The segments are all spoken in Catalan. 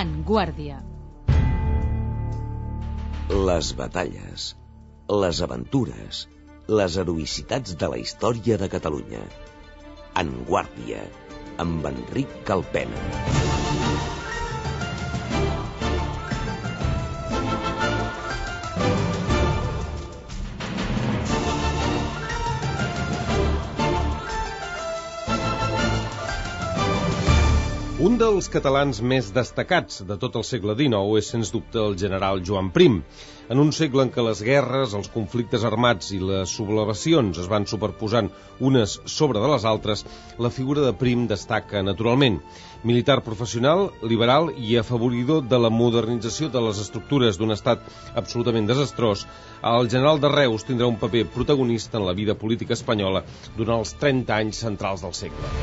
En Guàrdia. Les batalles, les aventures, les heroïcitats de la història de Catalunya. En Guàrdia, amb Enric Calpena. Un dels catalans més destacats de tot el segle XIX és, sens dubte, el general Joan Prim. En un segle en què les guerres, els conflictes armats i les sublevacions es van superposant unes sobre de les altres, la figura de Prim destaca naturalment. Militar professional, liberal i afavoridor de la modernització de les estructures d'un estat absolutament desastrós, el general de Reus tindrà un paper protagonista en la vida política espanyola durant els 30 anys centrals del segle.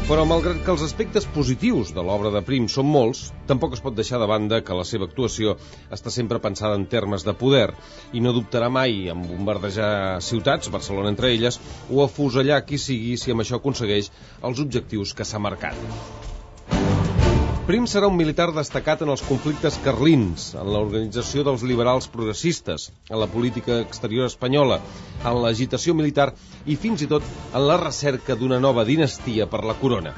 Però, malgrat que els aspectes positius de l'obra de Prim són molts, tampoc es pot deixar de banda que la seva actuació està sempre pensada en termes de poder i no dubtarà mai en bombardejar ciutats, Barcelona entre elles, o afusellar qui sigui si amb això aconsegueix els objectius que s'ha marcat. Prim serà un militar destacat en els conflictes carlins, en l'organització dels liberals progressistes, en la política exterior espanyola, en l'agitació militar i fins i tot en la recerca d'una nova dinastia per la corona.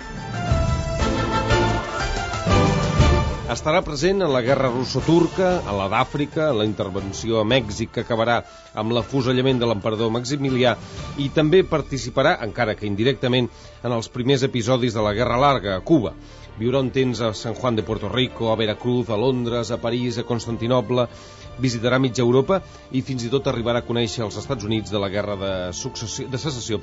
Estarà present en la guerra russo-turca, en la d'Àfrica, en la intervenció a Mèxic que acabarà amb l'afusellament de l'emperador Maximilià i també participarà, encara que indirectament, en els primers episodis de la Guerra Larga a Cuba. Viurà un temps a San Juan de Puerto Rico, a Veracruz, a Londres, a París, a Constantinoble, visitarà mitja Europa i fins i tot arribarà a conèixer els Estats Units de la guerra de secessió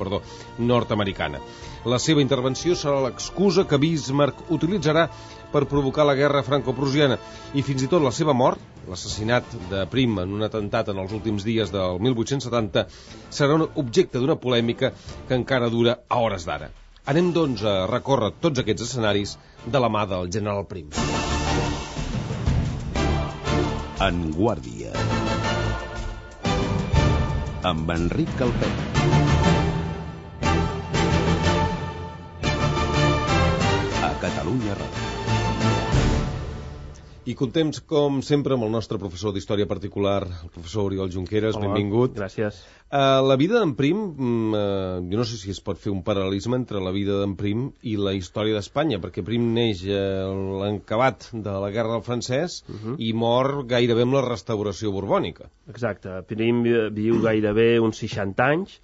nord-americana. La seva intervenció serà l'excusa que Bismarck utilitzarà per provocar la guerra franco-prussiana i fins i tot la seva mort, l'assassinat de Prim en un atemptat en els últims dies del 1870, serà un objecte d'una polèmica que encara dura a hores d'ara. Anem, doncs, a recórrer tots aquests escenaris de la mà del general Prim. En Guàrdia, amb Enric Calpena. A Catalunya Ràdio. I contem, com sempre, amb el nostre professor d'Història Particular, el professor Oriol Junqueras. Hola, benvingut. Gràcies. La vida d'en Prim, jo no sé si es pot fer un paral·lelisme entre la vida d'en Prim i la història d'Espanya, perquè Prim neix a l'encabat de la Guerra del Francès i mor gairebé amb la restauració borbònica. Exacte. Prim viu gairebé uns 60 anys,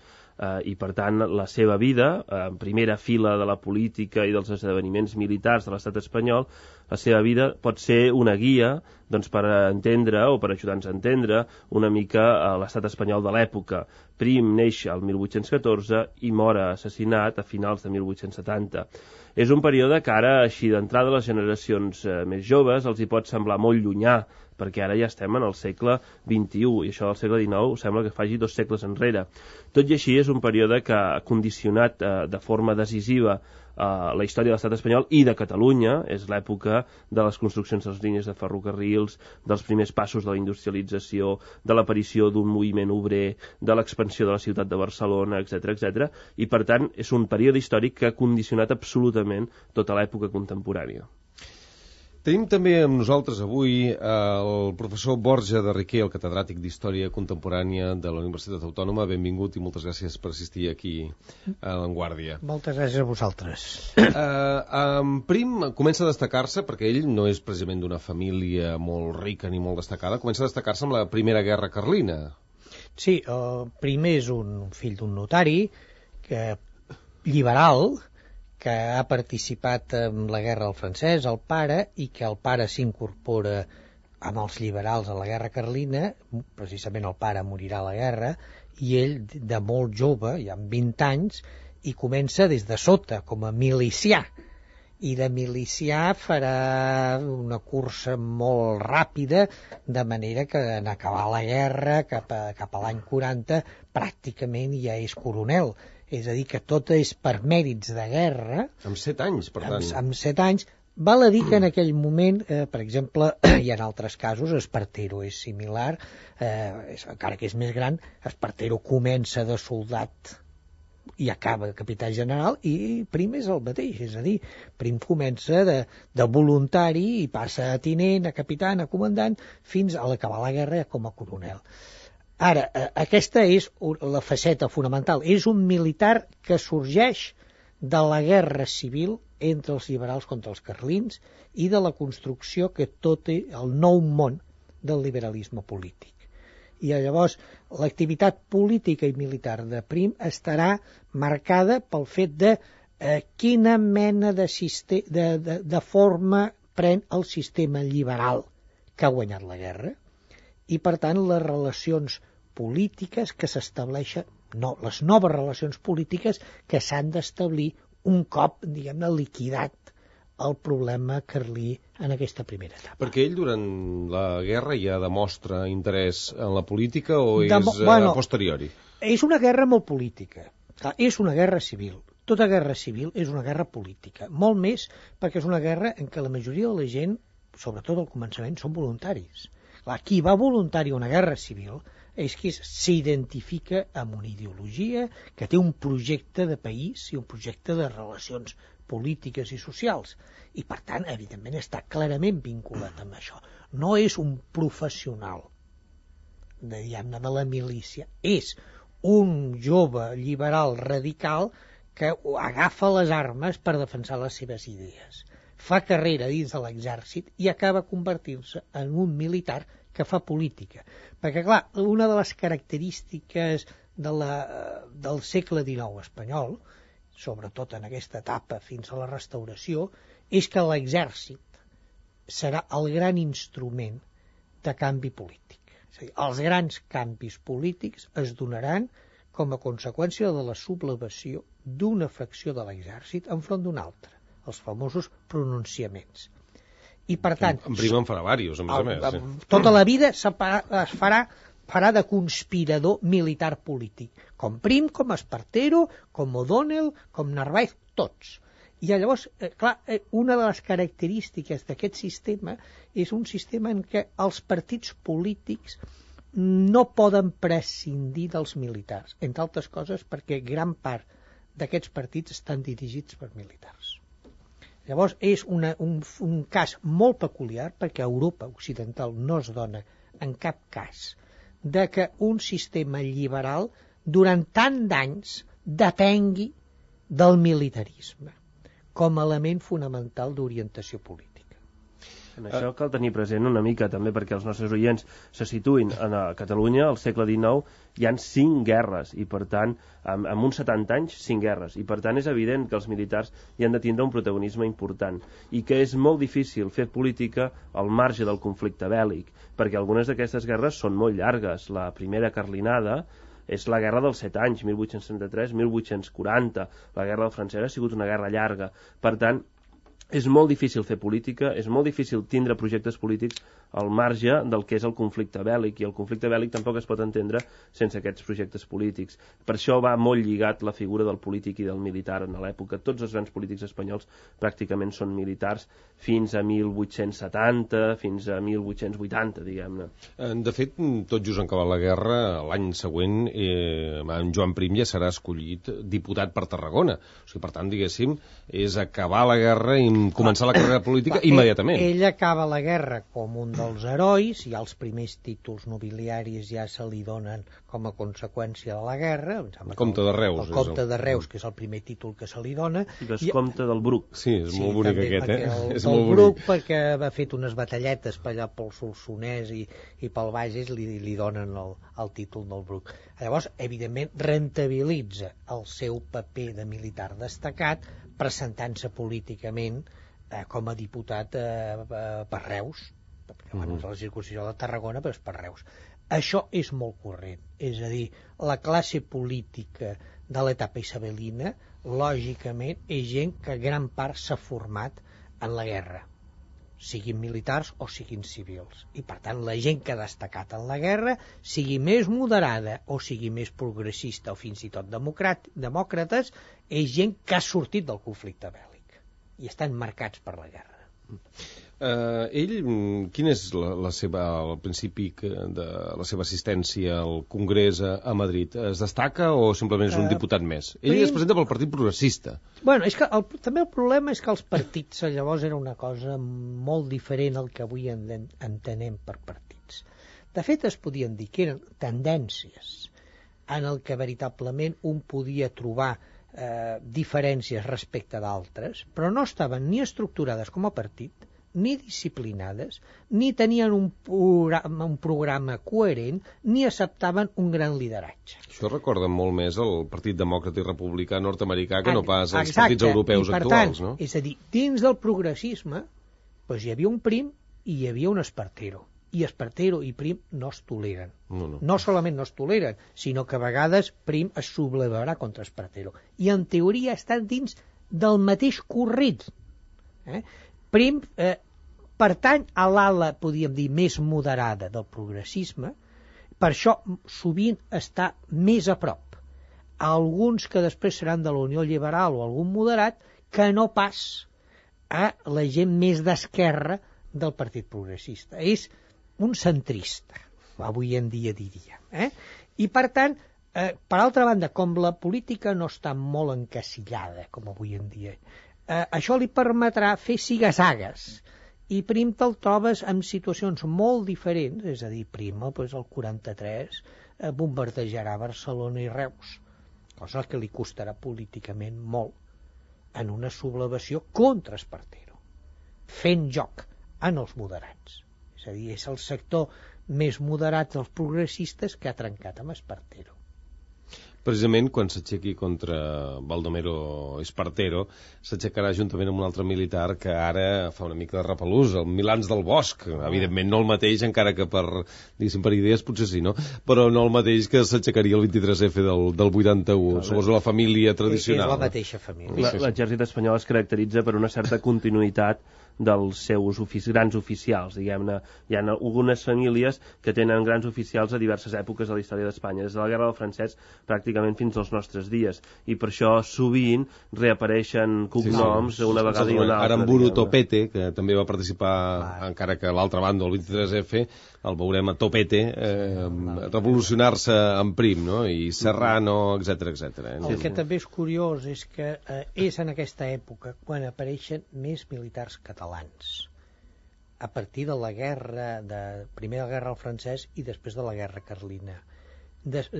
i per tant la seva vida, en primera fila de la política i dels esdeveniments militars de l'estat espanyol, la seva vida pot ser una guia per entendre o per ajudar-nos a entendre una mica l'estat espanyol de l'època. Prim neix al 1814 i mor assassinat a finals de 1870. És un període que ara, així d'entrada, les generacions més joves els hi pot semblar molt llunyà, perquè ara ja estem en el segle XXI, i això del segle XIX sembla que faci 2 segles enrere. Tot i així, és un període que ha condicionat de forma decisiva la història de l'estat espanyol i de Catalunya. És l'època de les construccions de les línies de ferrocarrils, dels primers passos de la industrialització, de l'aparició d'un moviment obrer, de l'expansió de la ciutat de Barcelona, etc. I, per tant, és un període històric que ha condicionat absolutament tota l'època contemporània. Tenim també amb nosaltres avui el professor Borja de Riquer, el catedràtic d'Història Contemporània de la Universitat Autònoma. Benvingut i moltes gràcies per assistir aquí a l'Enguàrdia. Moltes gràcies a vosaltres. Prim comença a destacar-se, perquè ell no és precisament d'una família molt rica ni molt destacada, comença a destacar-se amb la Primera Guerra Carlina. Sí, Prim és un fill d'un notari liberal, que ha participat en la guerra del francès, el pare, i que el pare s'incorpora amb els liberals a la guerra carlina. Precisament el pare morirà a la guerra, i ell, de molt jove, ja amb 20 anys, i comença des de sota, com a milicià. I de milicià farà una cursa molt ràpida, de manera que en acabar la guerra, cap a l'any 40, pràcticament ja és coronel. És a dir, que tot és per mèrits de guerra. Amb 7 anys, per tant. Amb 7 anys. Val a dir que en aquell moment, per exemple, i en altres casos, Espartero és similar, encara que és més gran. Espartero comença de soldat i acaba capità general, i Prim és el mateix, és a dir, Prim comença de voluntari i passa a tinent, a capità, a comandant, fins a l'acabar la guerra com a coronel. Ara, aquesta és la faceta fonamental, és un militar que sorgeix de la guerra civil entre els liberals contra els carlins i de la construcció que tot el nou món del liberalisme polític. I llavors l'activitat política i militar de Prim estarà marcada pel fet de quina mena de forma pren el sistema liberal que ha guanyat la guerra i, per tant, les relacions polítiques que s'estableixen, les noves relacions polítiques que s'han d'establir un cop, diguem-ne, liquidat el problema carlí en aquesta primera etapa. Perquè ell durant la guerra ja demostra interès en la política o és a posteriori? És una guerra molt política. És una guerra civil. Tota guerra civil és una guerra política. Molt més perquè és una guerra en què la majoria de la gent, sobretot al començament, són voluntaris. Qui va voluntari a una guerra civil és qui s'identifica amb una ideologia, que té un projecte de país i un projecte de relacions polítiques i socials, i per tant, evidentment, està clarament vinculat amb això. No és un professional de la milícia, és un jove liberal radical que agafa les armes per defensar les seves idees. Fa carrera dins de l'exèrcit i acaba convertint-se en un militar que fa política. Perquè, clar, una de les característiques del segle XIX espanyol, sobretot en aquesta etapa fins a la restauració, és que l'exèrcit serà el gran instrument de canvi polític. És a dir, els grans canvis polítics es donaran com a conseqüència de la sublevació d'una fracció de l'exèrcit enfront d'una altra, els famosos pronunciaments. I per tant... En Prim en farà diversos, a més. Tota la vida es farà de conspirador militar polític, com Prim, com Espartero, com O'Donnell, com Narváez, tots. I llavors, clar, una de les característiques d'aquest sistema és un sistema en què els partits polítics no poden prescindir dels militars, entre altres coses perquè gran part d'aquests partits estan dirigits per militars. Llavors, és un cas molt peculiar perquè a Europa occidental no es dona en cap cas de que un sistema liberal durant tant d'anys depengui del militarisme com a element fonamental d'orientació política. En això cal tenir present una mica també perquè els nostres oients se situïn a Catalunya al segle XIX hi han 5 guerres i per tant en uns 70 anys 5 guerres i per tant és evident que els militars hi han de tindre un protagonisme important i que és molt difícil fer política al marge del conflicte bèl·lic perquè algunes d'aquestes guerres són molt llargues. La primera carlinada és la guerra dels 7 anys, 1863-1840. La guerra del francès ha sigut una guerra llarga. Per tant, és molt difícil fer política, és molt difícil tindre projectes polítics al marge del que és el conflicte bèl·lic, i el conflicte bèl·lic tampoc es pot entendre sense aquests projectes polítics. Per això va molt lligat la figura del polític i del militar en l'època. Tots els grans polítics espanyols pràcticament són militars fins a 1870, fins a 1880, diguem-ne. De fet, tot just en acabar la guerra, l'any següent, en Joan Prim ja serà escollit diputat per Tarragona. O sigui, per tant, diguéssim, és acabar la guerra i començar la carrera política immediatament. Ell acaba la guerra com un dels herois, i els primers títols nobiliaris ja se li donen com a conseqüència de la guerra. El comte de Reus. El comte de Reus, que és el primer títol que se li dona. I vescomte del Bruc. Sí, és molt bonic aquest, És molt Bruc, perquè ha fet unes batalletes per allà pel Solsonès i pel Bages li donen el títol del Bruc. Llavors, evidentment, rentabilitza el seu paper de militar destacat presentant-se políticament com a diputat per Reus, perquè és la circumscripció de Tarragona, però és per Reus. Això és molt corrent, és a dir, la classe política de l'etapa isabelina, lògicament, és gent que gran part s'ha format en la guerra, siguin militars o siguin civils. I, per tant, la gent que ha destacat en la guerra, sigui més moderada o sigui més progressista o fins i tot demòcrates, és gent que ha sortit del conflicte bèl·lic i estan marcats per la guerra. Ell, quin és el principi de la seva assistència al Congrés a Madrid? Es destaca o simplement és un diputat més? Ell es presenta pel Partit Progressista. Bueno, és que també el problema és que els partits llavors era una cosa molt diferent al que avui entenem per partits. De fet, es podien dir que eren tendències en el que veritablement un podia trobar diferències respecte d'altres, però no estaven ni estructurades com a partit, ni disciplinades, ni tenien un programa coherent, ni acceptaven un gran lideratge. Això recorda molt més el Partit Demòcrata i Republicà nord-americà que no pas els partits europeus actuals, no? És a dir, dins del progressisme doncs hi havia un Prim i hi havia un Espartero. I Espartero i Prim no es toleren. No solament no es toleren, sinó que a vegades Prim es sublevarà contra Espartero. I en teoria estan dins del mateix corrit. Prim pertany a l'ala, podríem dir, més moderada del progressisme, per això sovint està més a prop a alguns que després seran de la Unió Liberal o algun moderat que no pas a la gent més d'esquerra del Partit Progressista. És un centrista, avui en dia diria. I per tant, per altra banda, com la política no està molt encasillada, com avui en dia, això li permetrà fer sigasagues, i Prim te'l trobes en situacions molt diferents, és a dir, Prim el 43 bombardejarà Barcelona i Reus, cosa que li costarà políticament molt en una sublevació contra Espartero, fent joc en els moderats. És a dir, és el sector més moderat dels progressistes que ha trencat amb Espartero. Precisament quan s'aixequi contra Baldomero Espartero, s'aixecarà juntament amb un altre militar que ara fa una mica de repelús, el Milans del Bosch. Evidentment no el mateix, encara que per idees potser sí, no? Però no el mateix que s'aixecaria el 23F del 81. Suposo la família tradicional. És la mateixa família. L'exèrcit espanyol es caracteritza per una certa continuïtat dels seus grans oficials, diguem-ne. Hi ha algunes famílies que tenen grans oficials a diverses èpoques de la història d'Espanya, des de la Guerra del Francès pràcticament fins als nostres dies, i per això sovint reapareixen cognoms una vegada i una altra. Aramburu Topete, que també va participar, encara que a l'altra banda, el 23F, el veurem a Topete revolucionar-se en Prim, no? I Serrano, etc. El que també és curiós és que és en aquesta època quan apareixen més militars catalans, a partir de la guerra, primer de la guerra al francès i després de la guerra carlina.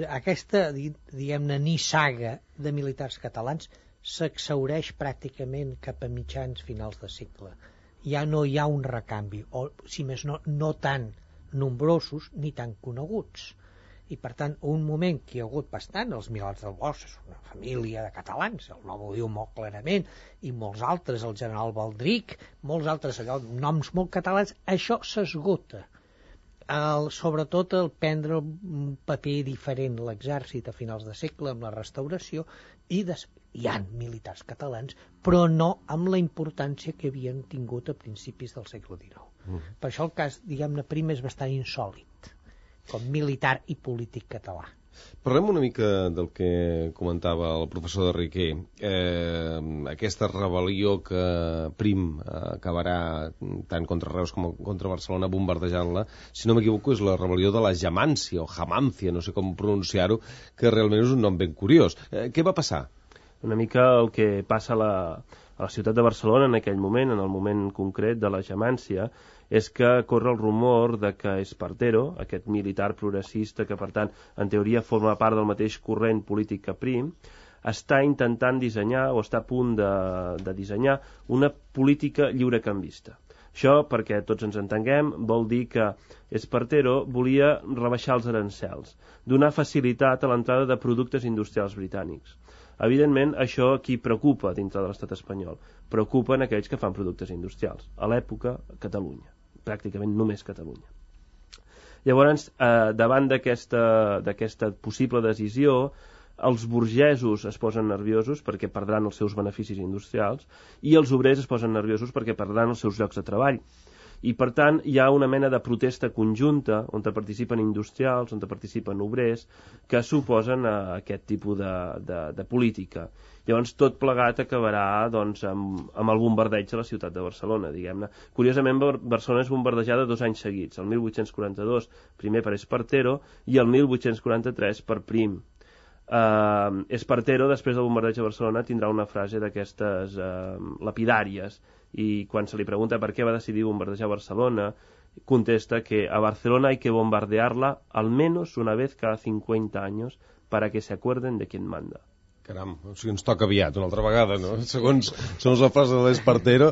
Aquesta, diguem-ne, nissaga de militars catalans s'exhaureix pràcticament cap a mitjans finals de segle. Ja no hi ha un recanvi, o si més no tan nombrosos ni tan coneguts. I per tant, un moment que hi ha hagut bastant, els Milans del Bosch és una família de catalans, el nom ho diu molt clarament, i molts altres, el general Baldric, molts altres noms molt catalans, això s'esgota. Sobretot el prendre un paper diferent l'exèrcit a finals de segle amb la restauració, i hi ha militars catalans, però no amb la importància que havien tingut a principis del segle XIX. Per això el cas, diguem-ne, Prim és bastant insòlit com militar i polític català. Parlem una mica del que comentava el professor de Riquer. Aquesta rebel·lió que Prim acabarà tant contra Reus com contra Barcelona bombardejant-la, si no m'equivoco és la rebel·lió de la Jamància o Jamància, no sé com pronunciar-ho, que realment és un nom ben curiós. Què va passar? Una mica el que passa a la ciutat de Barcelona en aquell moment, en el moment concret de la Jamància, és que corre el rumor de que Espartero, aquest militar progressista que, per tant, en teoria forma part del mateix corrent polític que Prim, està intentant dissenyar, o està a punt de dissenyar, una política lliurecanvista. Això, perquè tots ens entenguem, vol dir que Espartero volia rebaixar els arancels, donar facilitat a l'entrada de productes industrials britànics. Evidentment, això qui preocupa dintre de l'estat espanyol? Preocupen aquells que fan productes industrials. A l'època, Catalunya. Pràcticament només Catalunya. Llavors, davant d'aquesta possible decisió, els burgesos es posen nerviosos perquè perdran els seus beneficis industrials i els obrers es posen nerviosos perquè perdran els seus llocs de treball. I, per tant, hi ha una mena de protesta conjunta on participen industrials, on participen obrers, que s'oposen a aquest tipus de política. Llavors, tot plegat acabarà doncs, amb el bombardeig a la ciutat de Barcelona, diguem-ne. Curiosament, Barcelona és bombardejada 2 anys seguits, el 1842 primer per Espartero i el 1843 per Prim. Espartero, després del bombardeig a Barcelona, tindrà una frase d'aquestes lapidàries, i quan se li pregunta per què va decidir bombardejar Barcelona, contesta que a Barcelona hay que bombardearla al menos una vez cada 50 años para que se acuerden de quién manda. Caram, o sigui, ens toca aviat, una altra vegada, no? Segons la frase de l'Espartero,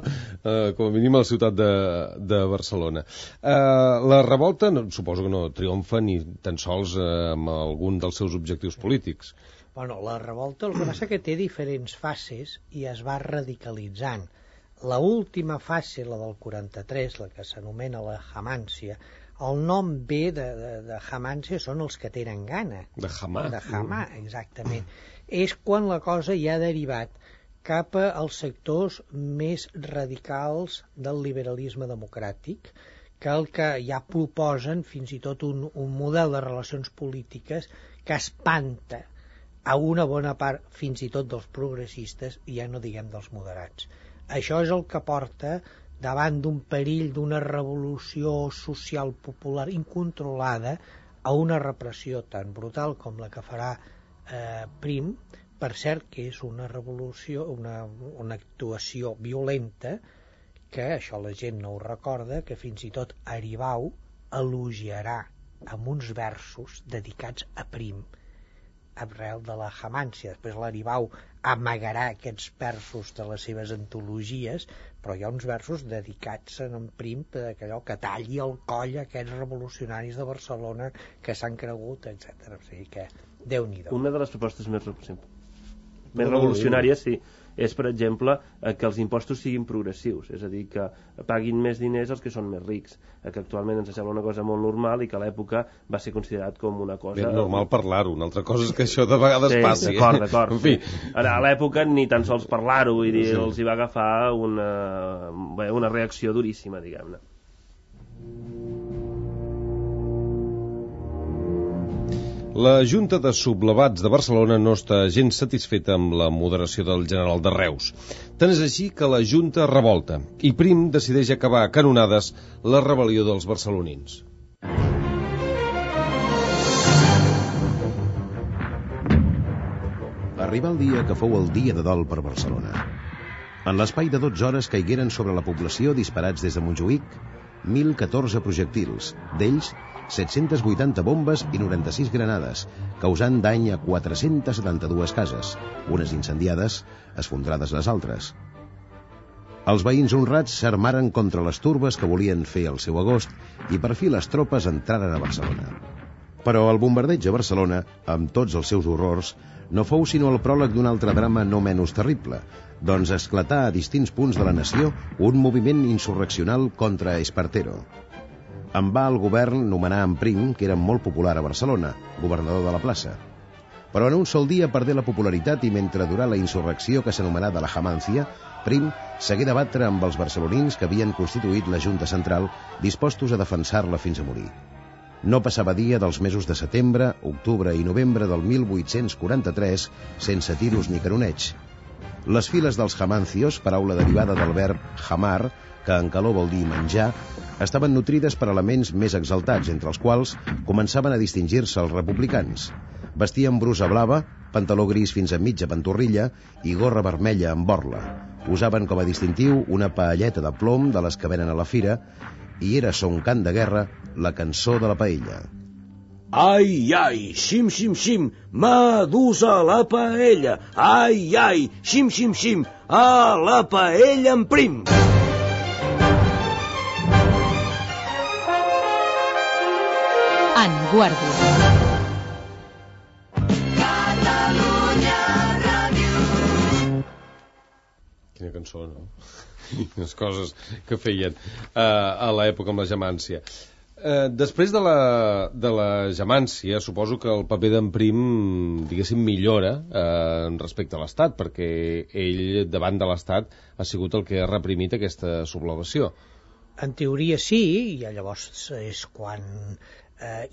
com a mínim a la ciutat de Barcelona. La revolta, suposo que no triomfa ni tan sols amb algun dels seus objectius polítics. Bueno, la revolta el que passa que té diferents fases i es va radicalitzant. La última fase, la del 43, la que s'anomena la Jamància, el nom ve de Jamància, són els que tenen gana. De Jamà. De Jamà, exactament. És quan la cosa ja ha derivat cap als sectors més radicals del liberalisme democràtic, que el que ja proposen fins i tot un model de relacions polítiques que espanta a una bona part, fins i tot dels progressistes, i ja no diguem dels moderats. Això és el que porta, davant d'un perill d'una revolució social popular incontrolada, a una repressió tan brutal com la que farà Prim, per cert que és una revolució, una actuació violenta, que això la gent no ho recorda, que fins i tot Aribau elogiarà amb uns versos dedicats a Prim, arrel de la Jamància. Després l'Aribau amagarà aquests versos de les seves antologies, però hi ha uns versos dedicats a en Prim, allò que talli el coll a aquests revolucionaris de Barcelona que s'han cregut, etc. O sigui que Déu-n'hi-do. Una de les propostes més revolucionàries, sí, és, per exemple, que els impostos siguin progressius, és a dir, que paguin més diners els que són més rics, que actualment ens sembla una cosa molt normal i que a l'època va ser considerat com una cosa... Ben normal parlar-ho, una altra cosa és que això de vegades passi. D'acord. En fi. A l'època ni tan sols parlar-ho, vull dir, els hi va agafar una reacció duríssima, diguem-ne. La Junta de Sublevats de Barcelona no està gens satisfeta amb la moderació del general de Reus. Tant és així que la Junta revolta i Prim decideix acabar a canonades la rebel·lió dels barcelonins. Arribà el dia que fou el dia de dol per Barcelona. En l'espai de 12 hores caigueren sobre la població disparats des de Montjuïc 1.014 projectils, d'ells 780 bombes i 96 granades, causant dany a 472 cases, unes incendiades, esfondrades les altres. Els veïns honrats s'armaren contra les turbes que volien fer el seu agost i per fi les tropes entraren a Barcelona. Però el bombardeig a Barcelona, amb tots els seus horrors, no fou sinó el pròleg d'un altre drama no menys terrible, doncs esclatà a distints punts de la nació un moviment insurreccional contra Espartero. En va el govern nomenar en Prim, que era molt popular a Barcelona, governador de la plaça. Però en un sol dia perdé la popularitat i mentre durà la insurrecció que s'anomenà de la Jamància, Prim s'hagué de batre amb els barcelonins que havien constituït la Junta Central, dispostos a defensar-la fins a morir. No passava dia dels mesos de setembre, octubre i novembre del 1843 sense tiros ni caroneig. Les files dels jamancios, paraula derivada del verb jamar, que en calor vol dir menjar, estaven nutrides per elements més exaltats, entre els quals començaven a distingir-se els republicans. Vestien brusa blava, pantaló gris fins a mitja pantorrilla i gorra vermella amb borla. Usaven com a distintiu una paelleta de plom de les que venen a la fira i era son cant de guerra la cançó de la paella. Ai, ai, xim, xim, xim, m'ha dus a la paella. Ai, ai, xim, xim, xim, a la paella en Prim. En Guàrdia. Quina cançó, no? Les coses que feien a l'època amb la Jamància. Després de la Jamància, suposo que el paper d'en Prim, diguéssim, millora respecte a l'Estat, perquè ell, davant de l'Estat, ha sigut el que ha reprimit aquesta sublevació. En teoria sí, i llavors és quan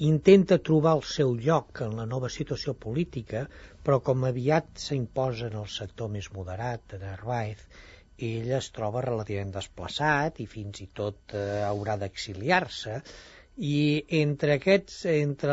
intenta trobar el seu lloc en la nova situació política, però com aviat s'imposa en el sector més moderat de Narváez, ell es troba relativament desplaçat i fins i tot haurà d'exiliar-se, i entre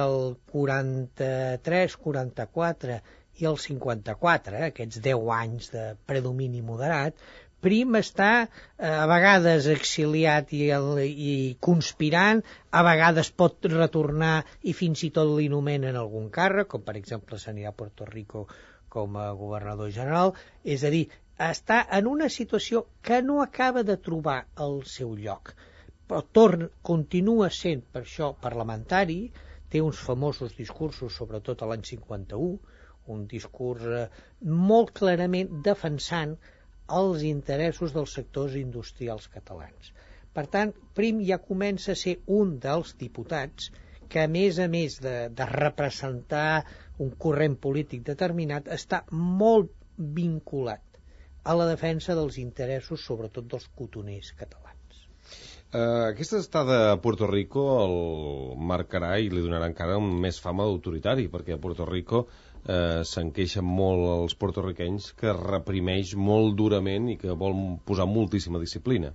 el 43, 44 i el 54, aquests 10 anys de predomini moderat, Prim està a vegades exiliat i conspirant, a vegades pot retornar i fins i tot li nomenen algun càrrec, com per exemple s'anirà a Puerto Rico com a governador general. És a dir, està en una situació que no acaba de trobar el seu lloc, però continua sent per això parlamentari, té uns famosos discursos, sobretot a l'any 51, un discurs molt clarament defensant els interessos dels sectors industrials catalans. Per tant, Prim ja comença a ser un dels diputats que, a més de representar un corrent polític determinat, està molt vinculat a la defensa dels interessos, sobretot dels cotoners catalans. Aquesta estada a Puerto Rico el marcarà i li donarà encara més fama d'autoritari, perquè a Puerto Rico se'n queixen molt els porto-riquenys que reprimeix molt durament i que vol posar moltíssima disciplina.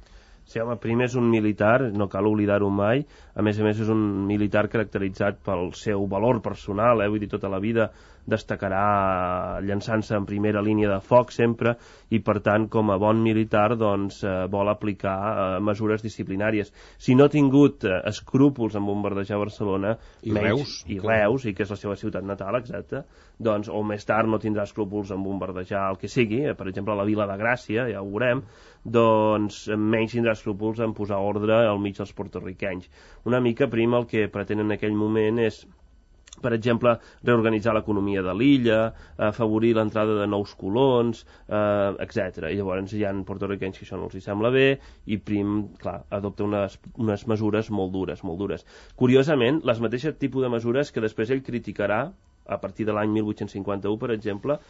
Sí, home, Prim és un militar, no cal oblidar-ho mai, a més és un militar caracteritzat pel seu valor personal, vull dir, tota la vida destacarà llançant-se en primera línia de foc sempre, i per tant, com a bon militar, doncs, vol aplicar mesures disciplinàries. Si no ha tingut escrúpols en bombardejar Barcelona, Reus, i que és la seva ciutat natal, exacte, doncs, o més tard no tindrà escrúpols en bombardejar el que sigui, per exemple, la Vila de Gràcia, ja ho veurem, doncs menys tindrà escrúpols en posar ordre al mig dels porto-riquenys. Una mica Prim el que pretén en aquell moment és, per exemple, reorganitzar l'economia de l'illa, afavorir l'entrada de nous colons, etc. I llavors hi ha porto-riquenys que això no els sembla bé, i Prim, clar, adopta unes mesures molt dures. Curiosament, les mateixes tipus de mesures que després ell criticarà a partir de l'any 1851, per exemple,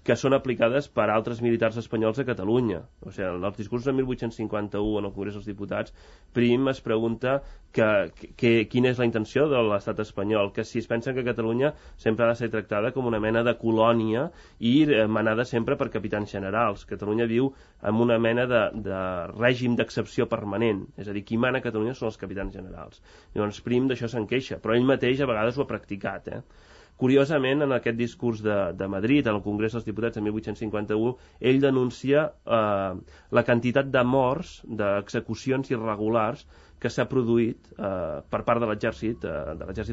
que són aplicades per altres militars espanyols a Catalunya. O sigui, en els discursos de 1851 en el Congrés dels Diputats, Prim es pregunta quina és la intenció de l'estat espanyol, que si es pensen que Catalunya sempre ha de ser tractada com una mena de colònia i manada sempre per capitans generals. Catalunya viu en una mena de règim d'excepció permanent, és a dir, qui mana a Catalunya són els capitans generals. Llavors Prim d'això se'n queixa, però ell mateix a vegades ho ha practicat, Curiosament, en aquest discurs de Madrid, en el Congrés dels Diputats de 1851, ell denuncia la quantitat de morts, d'execucions irregulars que s'ha produït per part de l'exèrcit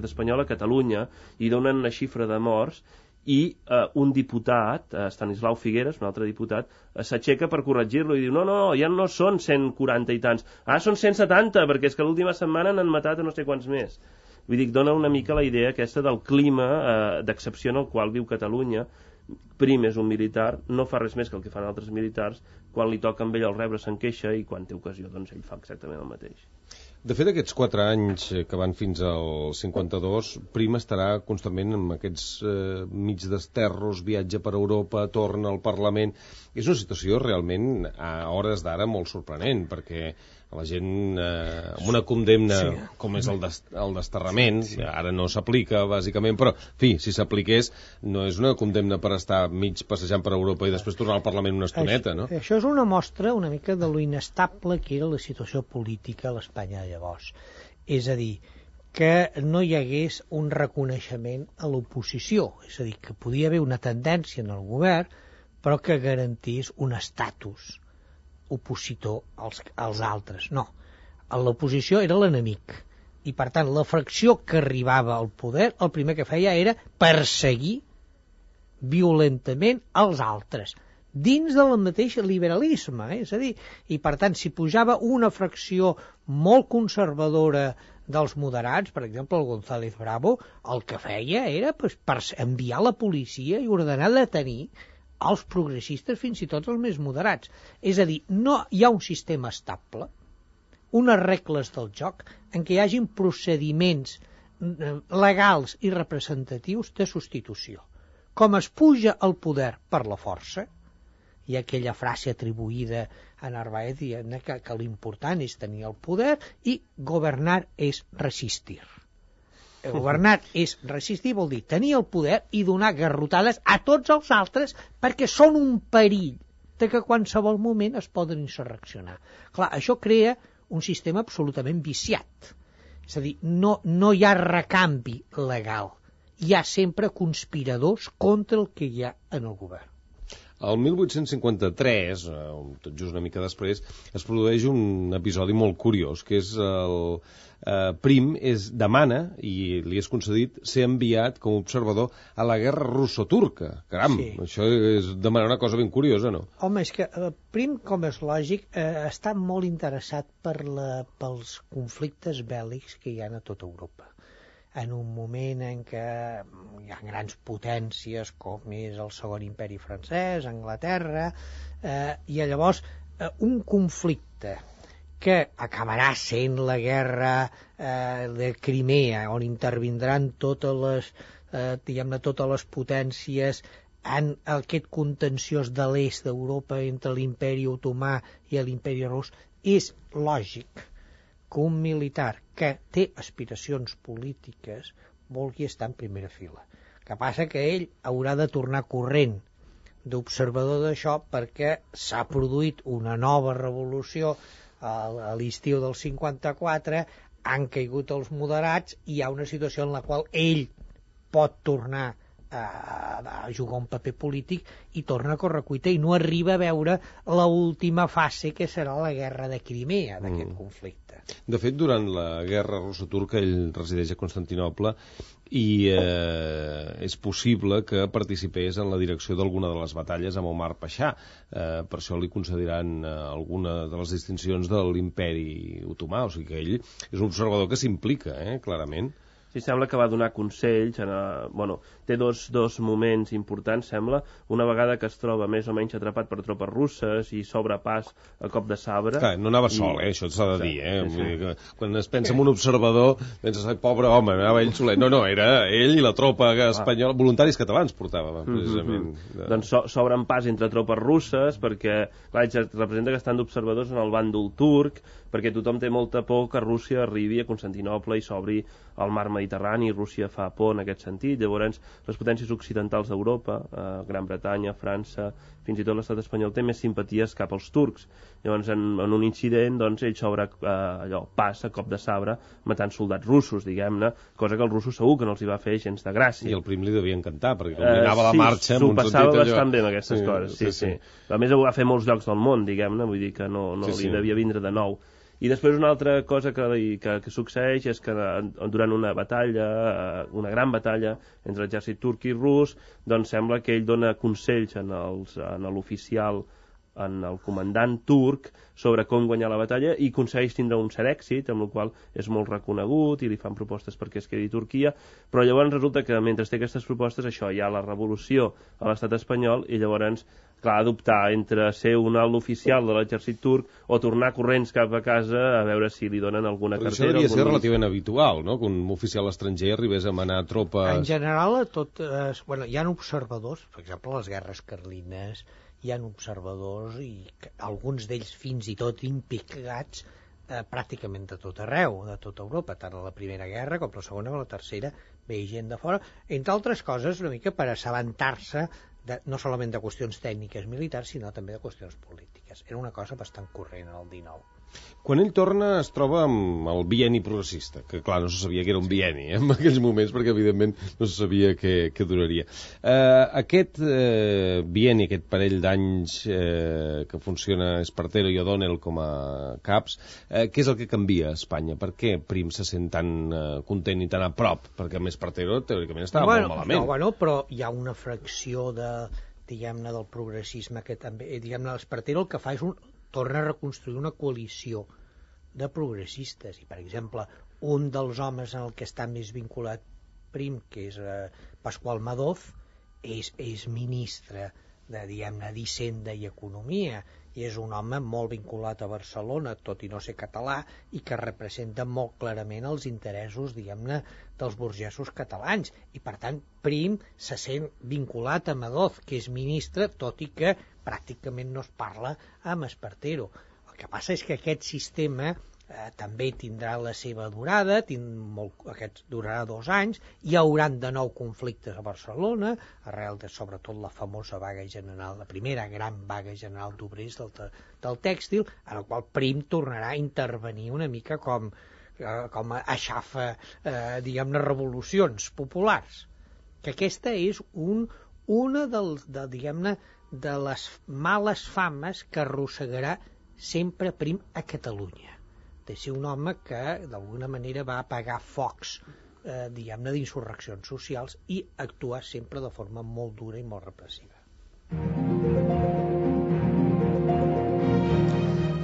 espanyol a Catalunya, i donen una xifra de morts, i un diputat, Estanislau Figueres, un altre diputat, s'aixeca per corregir-lo i diu, no, ja no són 140 i tants, són 170, perquè és que l'última setmana n'han matat a no sé quants més. Vull dir, dona una mica la idea aquesta del clima d'excepció en el qual viu Catalunya. Prim és un militar, no fa res més que el que fan altres militars, quan li toca amb ell el rebre se'n queixa, i quan té ocasió doncs ell fa exactament el mateix. De fet, aquests 4 anys que van fins al 52, Prim estarà constantment amb aquests mig desterros, viatge per Europa, torna al Parlament. És una situació realment a hores d'ara molt sorprenent, perquè la gent amb una condemna com és el desterrament, ara no s'aplica bàsicament, però en fi, si s'apliqués no és una condemna per estar mig passejant per Europa i després tornar al Parlament una estoneta, no? Això és una mostra una mica de lo inestable que era la situació política a l'Espanya de llavors. És a dir, que no hi hagués un reconeixement a l'oposició, és a dir, que podia haver una tendència en el govern, però que garantís un estatus opositor als altres. No, l'oposició era l'enemic, i per tant la fracció que arribava al poder el primer que feia era perseguir violentament els altres, dins del mateix liberalisme, és a dir, i per tant si pujava una fracció molt conservadora dels moderats, per exemple el González Bravo, el que feia era per enviar la policia i ordenar detenir els progressistes, fins i tot els més moderats. És a dir, no hi ha un sistema estable, unes regles del joc en què hi hagin procediments legals i representatius de substitució. Com es puja al poder per la força, hi ha aquella frase atribuïda a Narváez dient que l'important és tenir el poder i governar és resistir. Governar és resistir, vol dir tenir el poder i donar garrotades a tots els altres perquè són un perill de que a qualsevol moment es poden insurreccionar. Clar, això crea un sistema absolutament viciat. És a dir, no hi ha recanvi legal. Hi ha sempre conspiradors contra el que hi ha en el govern. El 1853, tot just una mica després, es produeix un episodi molt curiós, que és el Prim demana, i li és concedit, ser enviat com a observador a la guerra russo-turca. Caram, sí. Això és demanar una cosa ben curiosa, no? Home, és que Prim, com és lògic, està molt interessat pels conflictes bèl·lics que hi ha a tota Europa. En un moment en què hi ha grans potències com és el Segon Imperi francès, Anglaterra, i llavors un conflicte que acabarà sent la guerra de Crimea, on intervindran totes les potències en aquest contenciós de l'est d'Europa entre l'imperi otomà i l'imperi rus, és lògic que un militar que té aspiracions polítiques vulgui estar en primera fila. El que passa que ell haurà de tornar corrent d'observador d'això perquè s'ha produït una nova revolució a l'estiu del 54, han caigut els moderats i hi ha una situació en la qual ell pot tornar a jugar un paper polític i torna a correcuita i no arriba a veure l'última fase que serà la guerra de Crimea d'aquest conflicte. De fet, durant la guerra russo-turca ell resideix a Constantinoble i és possible que participés en la direcció d'alguna de les batalles amb Omar Pasha. Per això li concediran alguna de les distincions de l'imperi otomà, o sigui que ell és un observador que s'implica, clarament. Sí, sembla que va donar consells. Té dos moments importants, sembla. Una vegada que es troba més o menys atrapat per tropes russes i s'obre pas a cop de sabre. Clar, no anava sol, això s'ha de dir. Sí. Vull dir que quan es pensa en un observador, penses, pobre home, anava ell solet. No, era ell i la tropa espanyola, voluntaris catalans portava, precisament. Doncs s'obren pas entre tropes russes, perquè, clar, representa que estan d'observadors en el bàndol turc, perquè tothom té molta por que Rússia arribi a Constantinoble i s'obri al mar Mediterrani, i Rússia fa por en aquest sentit. Llavors, les potències occidentals d'Europa, Gran Bretanya, França, fins i tot l'estat espanyol, té més simpaties cap als turcs. Llavors, en un incident, doncs, ell s'obre pas a cop de sabre, matant soldats russos, diguem-ne, cosa que els russos segur que no els hi va fer gens de gràcia. I el Prim li devia encantar, perquè com li anava la marxa... S'ho passava bastant bé amb aquestes coses, sí. A més, ho va fer a molts llocs del món, diguem-ne, vull dir que no li devia vindre de nou. I després una altra cosa que succeeix és que durant una gran batalla entre l'exèrcit turc i rus, doncs sembla que ell dona consells a l'oficial, en el comandant turc, sobre com guanyar la batalla, i aconsegueix tindre un cert èxit, amb el qual és molt reconegut i li fan propostes perquè es quedi a Turquia, però llavors resulta que mentre té aquestes propostes, hi ha la revolució a l'estat espanyol, i llavors clar, adoptar entre ser un alt oficial de l'exèrcit turc o tornar corrents cap a casa a veure si li donen alguna cartera. Però això devia ser relativament habitual, no?, que un oficial estranger arribés a manar tropes... En general, hi ha observadors, per exemple, les guerres carlines, hi ha observadors i alguns d'ells fins i tot implicats pràcticament de tot arreu, de tota Europa, tant a la Primera Guerra com a la Segona o la Tercera, ve gent de fora, entre altres coses una mica per assabentar-se no solament de qüestions tècniques militars, sinó també de qüestions polítiques. Era una cosa bastant corrent en el 19. Quan ell torna es troba amb el bienni progressista, que clar, no se sabia que era un bienni en aquells moments, perquè evidentment no se sabia què duraria. Aquest bienni, aquest parell d'anys que funciona Espartero i O'Donnell com a caps, què és el que canvia a Espanya? Per què Prim se sent tan content i tan a prop? Perquè amb Espartero teòricament estava molt malament. No, però hi ha una fracció del progressisme que també, Espartero el que fa és torna a reconstruir una coalició de progressistes, i per exemple un dels homes en el que està més vinculat Prim, que és Pasqual Madoz, és ministre d'Hisenda i Economia, i és un home molt vinculat a Barcelona, tot i no ser català, i que representa molt clarament els interessos, dels burgesos catalans, i per tant Prim se sent vinculat a Madoz, que és ministre, tot i que pràcticament no es parla amb Espartero. El que passa és que aquest sistema també tindrà la seva durada, aquest durarà 2 anys, hi hauran de nou conflictes a Barcelona, arrel de sobretot la famosa vaga general, la primera gran vaga general d'obrers del tèxtil, en el qual Prim tornarà a intervenir una mica com aixafa, diguem-ne, revolucions populars. Que aquesta és una de les males fames que arrossegarà sempre Prim a Catalunya, de ser un home que d'alguna manera va apagar focs d'insurreccions socials i actuar sempre de forma molt dura i molt repressiva.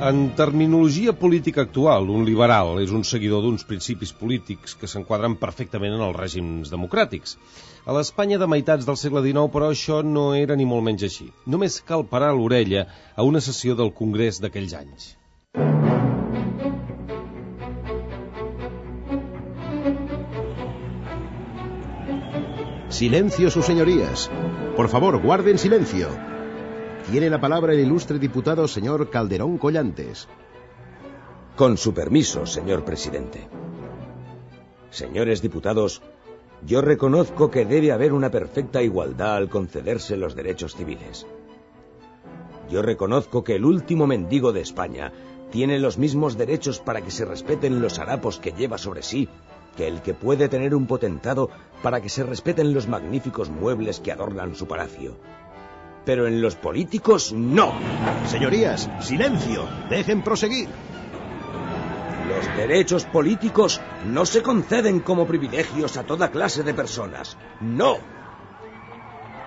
En terminologia política actual, un liberal és un seguidor d'uns principis polítics que s'enquadren perfectament en els règims democràtics. A l'Espanya de meitats del segle XIX, però, això no era ni molt menys així. Només cal parar l'orella a una sessió del Congrés d'aquells anys. Silencio, sus señorías. Por favor, guarden silencio. Tiene la palabra el ilustre diputado señor Calderón Collantes. Con su permiso, señor presidente. Señores diputados, yo reconozco que debe haber una perfecta igualdad al concederse los derechos civiles. Yo reconozco que el último mendigo de España tiene los mismos derechos para que se respeten los harapos que lleva sobre sí que el que puede tener un potentado para que se respeten los magníficos muebles que adornan su palacio. Pero en los políticos, no. Señorías, silencio. Dejen proseguir. Los derechos políticos no se conceden como privilegios a toda clase de personas. No.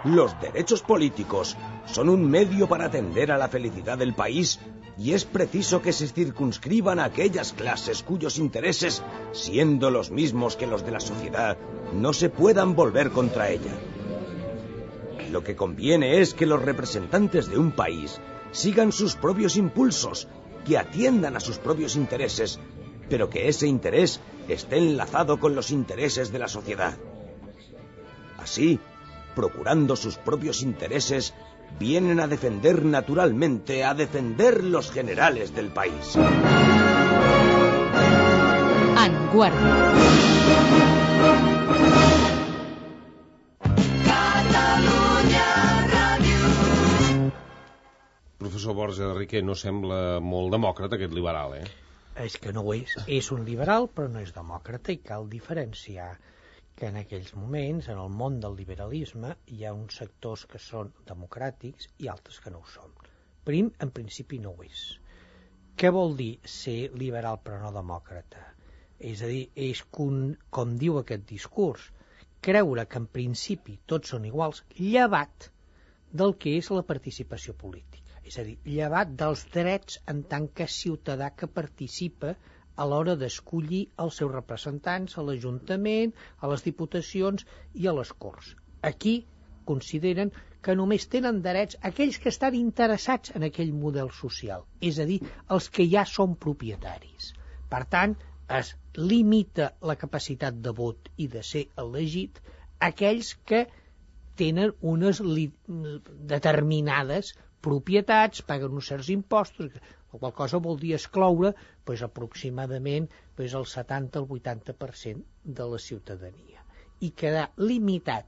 Los derechos políticos son un medio para atender a la felicidad del país y es preciso que se circunscriban a aquellas clases cuyos intereses, siendo los mismos que los de la sociedad, no se puedan volver contra ella. Lo que conviene es que los representantes de un país sigan sus propios impulsos, que atiendan a sus propios intereses, pero que ese interés esté enlazado con los intereses de la sociedad. Así, procurando sus propios intereses, vienen a defender naturalmente, a defender los generales del país. En Guàrdia. Professor Borja de Riquer, no sembla molt demòcrata aquest liberal, És que no ho és. És un liberal, però no és demòcrata, i cal diferenciar que en aquells moments, en el món del liberalisme, hi ha uns sectors que són democràtics i altres que no ho són. Prim, en principi, no ho és. Què vol dir ser liberal però no demòcrata? És a dir, és com diu aquest discurs, creure que en principi tots són iguals, llevat del que és la participació política. És a dir, llevat dels drets en tant que ciutadà que participa a l'hora d'escollir els seus representants a l'Ajuntament, a les diputacions i a les Corts. Aquí consideren que només tenen drets aquells que estan interessats en aquell model social, és a dir, els que ja són propietaris. Per tant, es limita la capacitat de vot i de ser elegit a aquells que tenen unes determinades propietats, paguen uns certs impostos, la qual cosa vol dir excloure aproximadament el 70 al 80% de la ciutadania i quedar limitat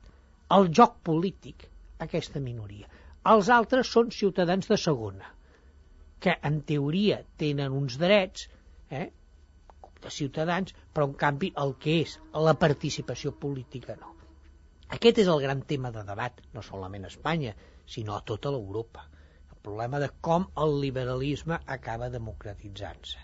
al joc polític a aquesta minoria. Els altres són ciutadans de segona, que en teoria tenen uns drets de ciutadans, però en canvi el que és la participació política no. Aquest és el gran tema de debat, no solament a Espanya, sinó a tota l'Europa. El problema de com el liberalisme acaba democratitzant-se.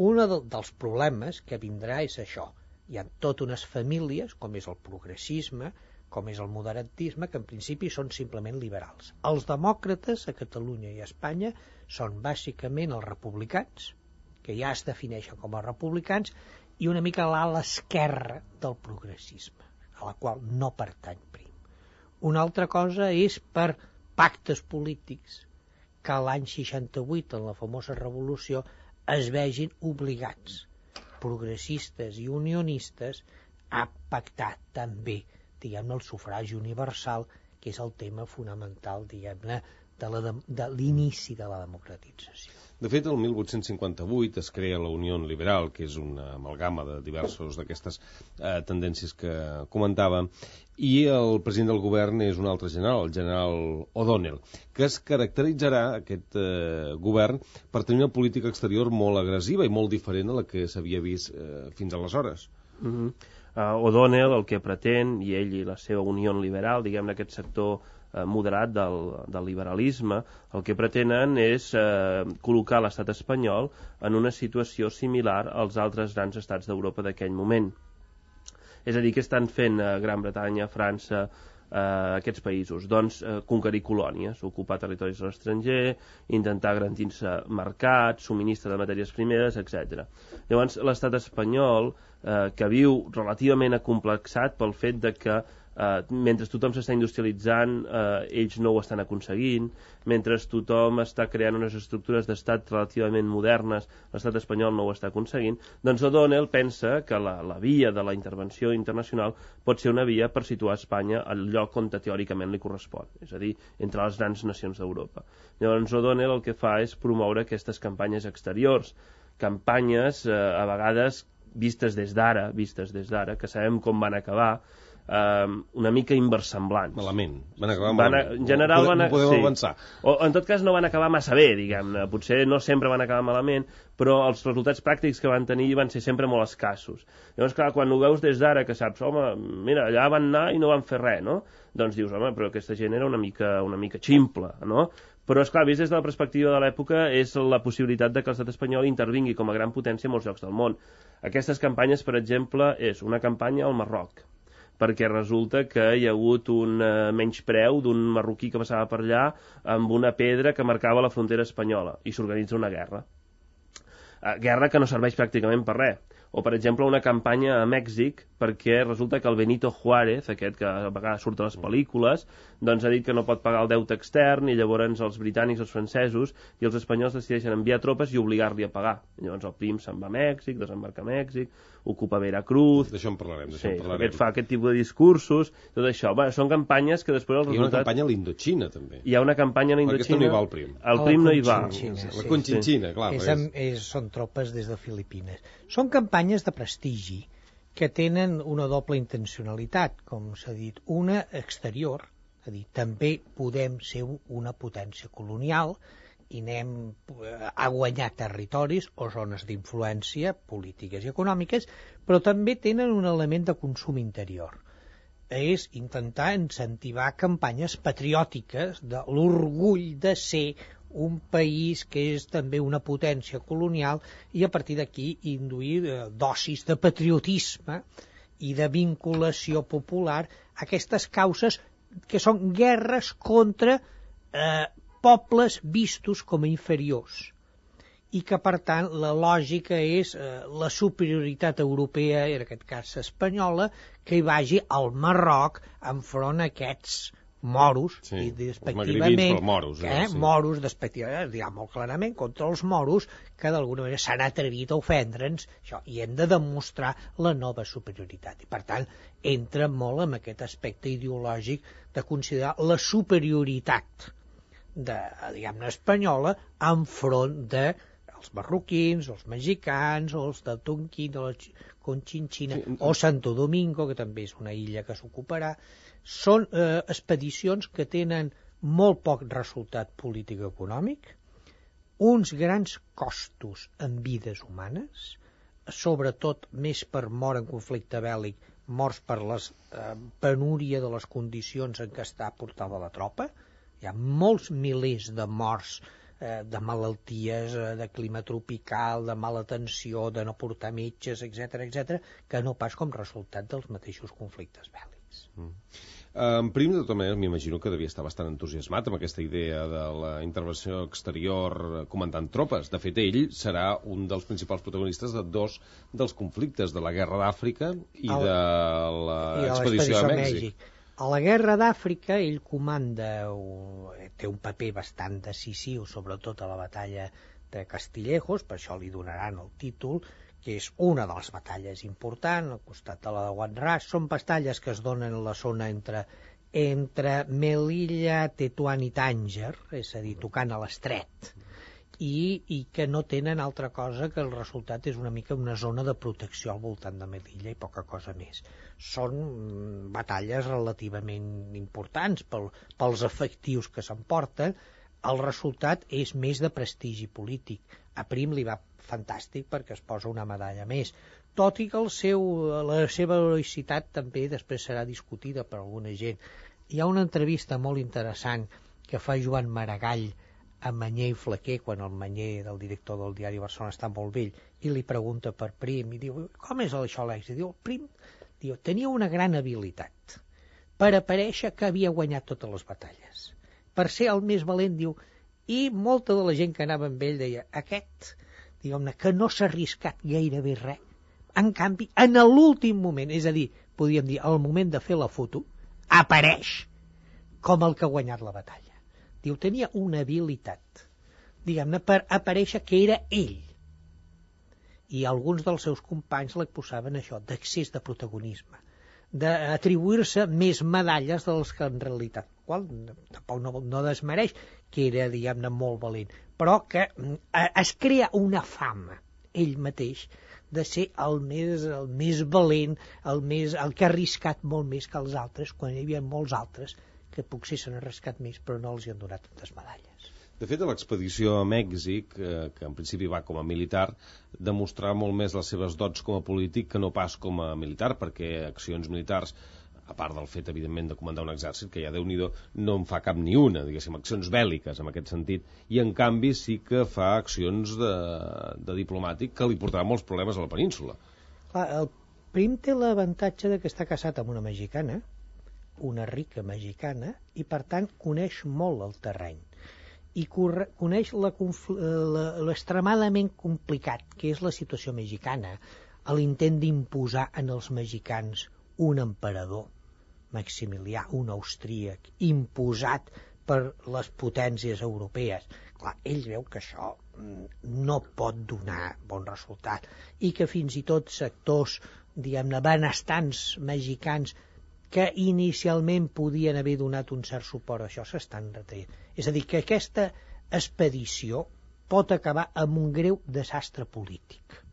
Un dels problemes que vindrà és això. Hi ha totes unes famílies, com és el progressisme, com és el moderatisme, que en principi són simplement liberals. Els demòcrates a Catalunya i a Espanya són bàsicament els republicans, que ja es defineixen com a republicans, i una mica l'ala esquerra del progressisme, a la qual no pertany Prim. Una altra cosa és per pactes polítics que l'any 68, en la famosa revolució, es vegin obligats, progressistes i unionistes, a pactar també, diguem-ne, el sufragi universal, que és el tema fonamental, diguem-ne, de l'inici de la democratització. De fet, el 1858 es crea la Unió Liberal, que és una amalgama de diversos d'aquestes tendències que comentava, i el president del govern és un altre general, el general O'Donnell, que es caracteritzarà, aquest govern, per tenir una política exterior molt agressiva i molt diferent a la que s'havia vist fins aleshores. O'Donnell el que pretén, i ell i la seva Unió Liberal, diguem-ne aquest sector moderat del liberalisme, el que pretenen és col·locar l'estat espanyol en una situació similar als altres grans estats d'Europa d'aquell moment. És a dir, què estan fent Gran Bretanya, França, aquests països? Doncs conquerir colònies, ocupar territoris a l'estranger, intentar garantir-se mercats, subministre de matèries primeres, etc. Llavors, l'estat espanyol, que viu relativament acomplexat pel fet de que mentre tothom s'està industrialitzant, ells no ho estan aconseguint, mentre tothom està creant unes estructures d'estat relativament modernes, l'estat espanyol no ho està aconseguint, doncs O'Donnell pensa que la via de la intervenció internacional pot ser una via per situar Espanya al lloc on teòricament li correspon, és a dir, entre les grans nacions d'Europa. Llavors O'Donnell el que fa és promoure aquestes campanyes exteriors, campanyes a vegades vistes des d'ara, que sabem com van acabar, una mica inversemblants. Malament. Van acabar malament. En general no podem avançar. O en tot cas no van acabar massa bé, diguem-ne. Potser no sempre van acabar malament, però els resultats pràctics que van tenir van ser sempre molt escassos. Llavors, clar, quan ho veus des d'ara, que saps, home, mira, allà van anar i no van fer res, no? Doncs dius, home, però aquesta gent era una mica ximple, no? Però, esclar, vist des de la perspectiva de l'època, és la possibilitat de que l'estat espanyol intervingui com a gran potència en molts llocs del món. Aquestes campanyes, per exemple, és una campanya al Marroc, perquè resulta que hi ha hagut un menyspreu d'un marroquí que passava per allà amb una pedra que marcava la frontera espanyola, i s'organitza una guerra. Guerra que no serveix pràcticament per res. O, per exemple, una campanya a Mèxic, perquè resulta que el Benito Juárez, aquest que a vegades surt a les pel·lícules, doncs ha dit que no pot pagar el deute extern, i llavors els britànics, els francesos i els espanyols decideixen enviar tropes i obligar-li a pagar. Llavors el Prim se'n va a Mèxic, desembarca a Mèxic, ocupa Veracruz... D'això en parlarem, fa aquest tipus de discursos, tot això. Bé, són campanyes que després el resultat... Hi ha una campanya a l'Indochina, també. Hi ha una campanya a l'Indochina... Aquesta no hi va el Prim. El Prim no hi va. La Conchinchina, clar. Són tropes des de Filipines. Són campanyes de prestigi que tenen una doble intencionalitat, com s'ha dit. Una exterior, és a dir, també podem ser una potència colonial i anem a guanyar territoris o zones d'influència polítiques i econòmiques, però també tenen un element de consum interior. És intentar incentivar campanyes patriòtiques de l'orgull de ser un país que és també una potència colonial, i a partir d'aquí induir dosis de patriotisme i de vinculació popular a aquestes causes que són guerres contra pobles vistos com a inferiors, i que per tant la lògica és la superioritat europea, en aquest cas espanyola, que hi vagi al Marroc enfront a aquests moros, i despectivament moros despectivament, diguem molt clarament, contra els moros que d'alguna manera s'han atrevit a ofendre'ns, això, i hem de demostrar la nova superioritat, i per tant entra molt en aquest aspecte ideològic de considerar la superioritat diguem-ne espanyola enfront de els marroquins, els mexicans, o els de Tonquín, o la Conchinchina, o Santo Domingo, que també és una illa que s'ocuparà. Són expedicions que tenen molt poc resultat polític-econòmic, uns grans costos en vides humanes, sobretot més per mort en conflicte bèl·lic, morts per la penúria de les condicions en què està portada la tropa. Hi ha molts milers de morts de malalties, de clima tropical, de mala atenció, de no portar metges, etc., que no pas com resultat dels mateixos conflictes bèl·lics. En Prim, de tota manera, m'imagino que devia estar bastant entusiasmat amb aquesta idea de la intervenció exterior comandant tropes. De fet, ell serà un dels principals protagonistes de dos dels conflictes, de la Guerra d'Àfrica i de l'expedició a Mèxic. A la Guerra d'Àfrica ell comanda, té un paper bastant decisiu, sobretot a la batalla de Castillejos, per això li donaran el títol, que és una de les batalles importants, al costat de la de Juan Ras. Són batalles que es donen en la zona entre entre Melilla, Tetuan i Tànger, és a dir, tocant a l'estret, i que no tenen altra cosa que el resultat és una mica una zona de protecció al voltant de Melilla i poca cosa més. Són batalles relativament importants pels efectius que s'emporten. El resultat és més de prestigi polític. A Prim li va fantàstic perquè es posa una medalla més, tot i que la seva heroïcitat també després serà discutida per alguna gent. Hi ha una entrevista molt interessant que fa Joan Maragall a Manyer i Flaquer, quan el Manyer, del director del diari Barcelona, està molt vell, i li pregunta per Prim, i diu, com és això l'èxit? Diu, Prim tenia una gran habilitat per aparèixer que havia guanyat totes les batalles, per ser el més valent, diu, i molta de la gent que anava amb ell deia, aquest, diguem-ne, que no s'ha arriscat gairebé res, en canvi, en l'últim moment, és a dir, podríem dir, al moment de fer la foto, apareix com el que ha guanyat la batalla. Diu, tenia una habilitat, diguem-ne, per aparèixer que era ell. I alguns dels seus companys l'acusaven això, d'excés de protagonisme, d'atribuir-se més medalles dels que en realitat, qual tampoc no desmereix que era, diguem-ne, molt valent, però que es crea una fama ell mateix de ser el més valent, el que ha arriscat molt més que els altres, quan hi havia molts altres que potser s'han arriscat més però no els hi han donat tantes medalles. De fet, a l'expedició a Mèxic, que en principi va com a militar, demostrava molt més les seves dots com a polític que no pas com a militar, perquè accions militars, a part del fet, evidentment, de comandar un exèrcit, que ja Déu-n'hi-do, no en fa cap ni una, diguéssim, accions bèl·liques en aquest sentit, i en canvi sí que fa accions de diplomàtic que li portaran molts problemes a la península. Clar, el Prim té l'avantatge de que està casat amb una mexicana, una rica mexicana, i per tant coneix molt el terreny i coneix l'extremadament complicat que és la situació mexicana, l'intent d'imposar en els mexicans un emperador, Maximilià, un austríac, imposat per les potències europees. Clar, ell veu que això no pot donar bon resultat i que fins i tot sectors, diguem-ne, benestants mexicans que inicialment podien haver donat un cert suport a això s'estan retraient. És a dir, que aquesta expedició pot acabar amb un greu desastre polític,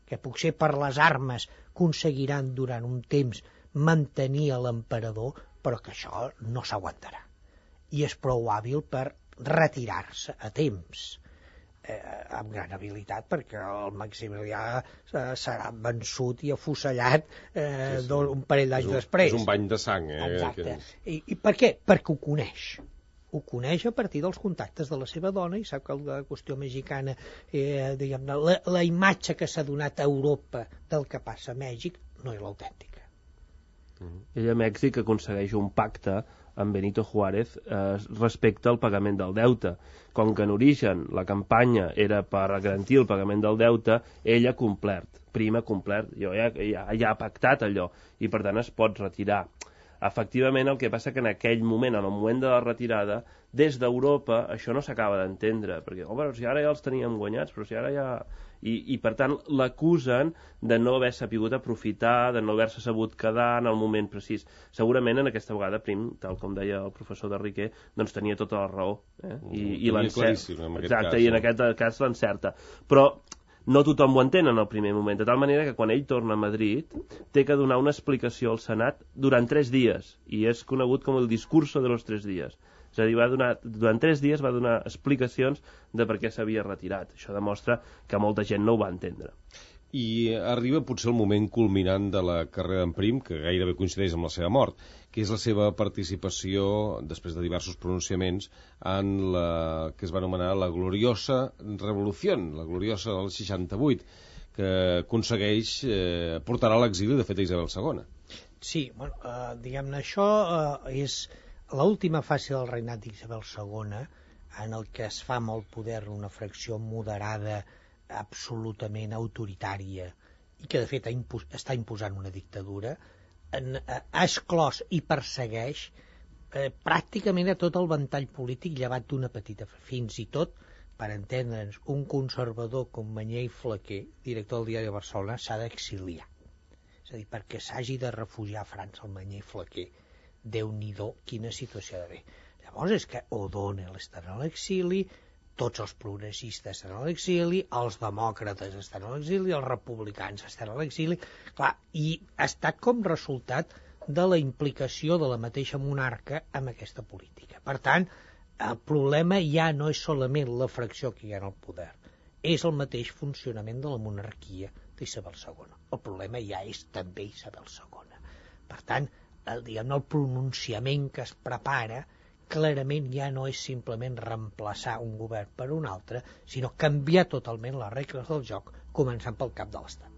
que potser per les armes aconseguiran durant un temps mantenir l'emperador, però que això no s'aguantarà. I és prou hàbil per retirar-se a temps, amb gran habilitat, perquè el Maximilià serà vençut i afusellat un parell d'anys després. És un bany de sang. Exacte. I per què? Perquè ho coneix. Ho coneix a partir dels contactes de la seva dona i sap que la qüestió mexicana, diguem-ne, la imatge que s'ha donat a Europa del que passa a Mèxic no és l'autèntica. Ell a Mèxic aconsegueix un pacte amb Benito Juárez respecte al pagament del deute. Com que en origen la campanya era per garantir el pagament del deute, ell ha complert, Prim ha complert, ja ha pactat allò, i per tant es pot retirar. Efectivament, el que passa que en aquell moment, en el moment de la retirada, des d'Europa això no s'acaba d'entendre, perquè, però si ara ja els teníem guanyats, però si ara ja... I per tant l'acusen de no haver sapigut aprofitar, de no haver-se sabut quedar en el moment precís. Segurament en aquesta vegada Prim, tal com deia el professor de Riquer, doncs tenia tota la raó. I exacte, i en aquest cas l'encerta. Però no tothom ho entén en el primer moment, de tal manera que quan ell torna a Madrid té que donar una explicació al Senat durant 3 dies, i és conegut com el discurso de los 3 dies. És a dir, durant 3 dies va donar explicacions de per què s'havia retirat. Això demostra que molta gent no ho va entendre. I arriba potser el moment culminant de la carrera d'en Prim, que gairebé coincideix amb la seva mort, que és la seva participació, després de diversos pronunciaments, en la que es va anomenar la gloriosa revolució, la gloriosa del 68, que aconsegueix portar a l'exili, de fet, a Isabel II. Sí, bueno, diguem-ne, això és l'última fase del regnat d'Isabel II, en el que es fa amb el poder una fracció moderada, absolutament autoritària, i que de fet està imposant una dictadura, ha exclòs i persegueix pràcticament a tot el ventall polític, llevat d'una petita, fins i tot, per entendre'ns, un conservador com Manyer i Flaquer, director del diari de Barcelona, s'ha d'exiliar. És a dir, perquè s'hagi de refugiar a França el Manyer i Flaquer, Déu-n'hi-do, quina situació de bé. Llavors és que O'Donnell està a l'exili, tots els progressistes estan a l'exili, els demòcrates estan a l'exili, els republicans estan a l'exili, clar, i ha estat com resultat de la implicació de la mateixa monarca amb aquesta política. Per tant, el problema ja no és solament la fracció que hi ha en el poder, és el mateix funcionament de la monarquia d'Isabel II. El problema ja és també Isabel II. Per tant, el pronunciament que es prepara clarament ja no és simplement reemplaçar un govern per un altre, sinó canviar totalment les regles del joc, començant pel cap de l'Estat.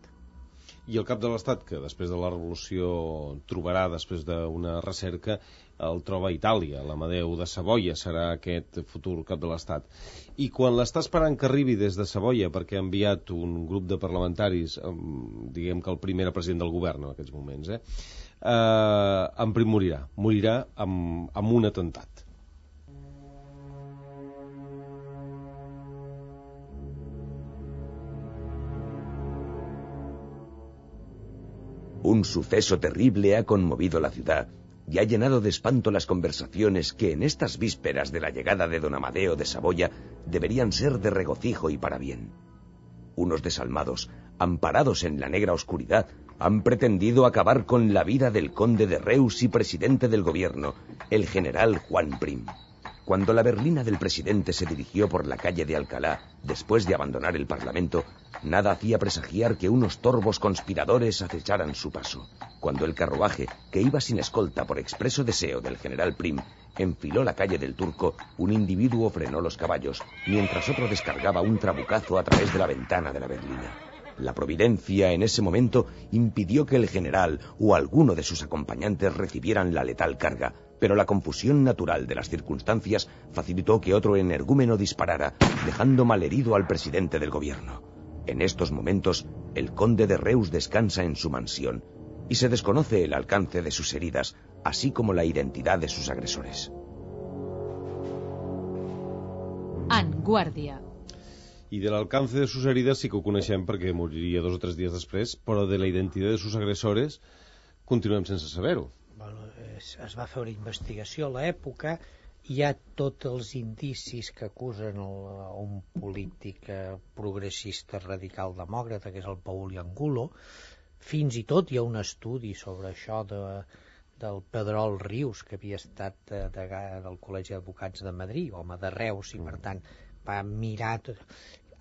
I el cap de l'Estat, que després de la revolució trobarà, després d'una recerca, el troba a Itàlia. L'Amadeu de Savoia serà aquest futur cap de l'Estat. I quan l'està esperant que arribi des de Savoia, perquè ha enviat un grup de parlamentaris, diguem que el primer president del govern en aquests moments, en Prim morirà amb un atemptat. Un suceso terrible ha conmovido la ciudad y ha llenado de espanto las conversaciones que en estas vísperas de la llegada de don Amadeo de Saboya deberían ser de regocijo y para bien. Unos desalmados, amparados en la negra oscuridad, han pretendido acabar con la vida del conde de Reus y presidente del gobierno, el general Juan Prim. Cuando la berlina del presidente se dirigió por la calle de Alcalá, después de abandonar el Parlamento, nada hacía presagiar que unos torvos conspiradores acecharan su paso. Cuando el carruaje, que iba sin escolta por expreso deseo del general Prim, enfiló la calle del Turco, un individuo frenó los caballos, mientras otro descargaba un trabucazo a través de la ventana de la berlina. La providencia en ese momento impidió que el general o alguno de sus acompañantes recibieran la letal carga, pero la confusión natural de las circunstancias facilitó que otro energúmeno disparara, dejando malherido al presidente del gobierno. En estos momentos, el conde de Reus descansa en su mansión y se desconoce el alcance de sus heridas, así como la identidad de sus agresores. En Guàrdia. I de l'alcance de sus heridas sí que ho coneixem perquè moriria 2 o 3 dies després, però de la identitat de sus agresores continuem sense saber-ho. Bueno, es va fer una investigació a l'època, hi ha tots els indicis que acusen un polític progressista radical demòcrata, que és el Paul Angulo. Fins i tot hi ha un estudi sobre això del Pedrol Rius, que havia estat del Col·legi d'Advocats de Madrid, home de Reus, i per tant va mirar tot.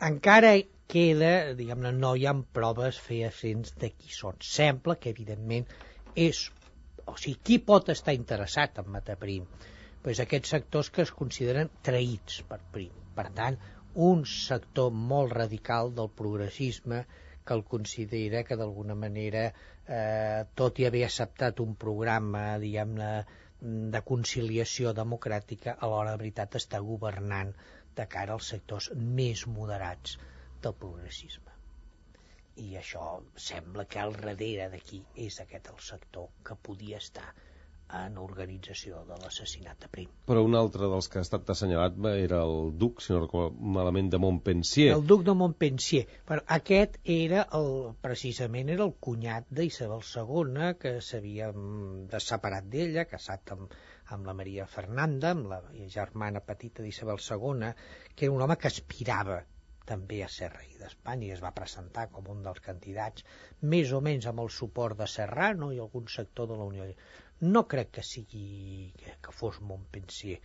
Encara queda, diguem-ne, no hi ha proves fehacients de qui són. Sembla que, evidentment, o sigui, qui pot estar interessat en matar Prim? Pues aquests sectors que es consideren traïts per Prim. Per tant, un sector molt radical del progressisme que el considera que d'alguna manera, tot i haver acceptat un programa, diguem-ne, de conciliació democràtica, alhora, de veritat, està governant de cara als sectors més moderats del progressisme. I això sembla que al darrere d'aquí és aquest el sector que podia estar en l'organització de l'assassinat de Prim. Però un altre dels que ha estat assenyalat era el duc, si no recordo malament, de Montpensier. El duc de Montpensier. Però aquest era precisament era el cunyat d'Isabel II, que s'havia separat d'ella, casat amb la Maria Fernanda, amb la germana petita d'Isabel II, que era un home que aspirava també a ser rei d'Espanya i es va presentar com un dels candidats, més o menys amb el suport de Serrano i algun sector de la Unió. No crec que fos Montpensier.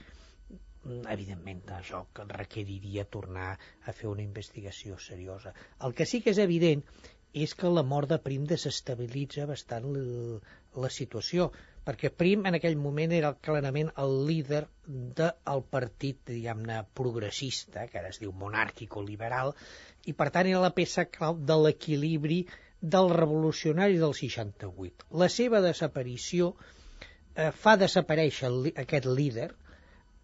Evidentment, això requeriria tornar a fer una investigació seriosa. El que sí que és evident és que la mort de Prim desestabilitza bastant la situació, perquè Prim en aquell moment era clarament el líder del partit, diguem-ne, progressista, que ara es diu monàrquico-liberal, i per tant era la peça clau de l'equilibri del revolucionari del 68. La seva desaparició fa desaparèixer aquest líder,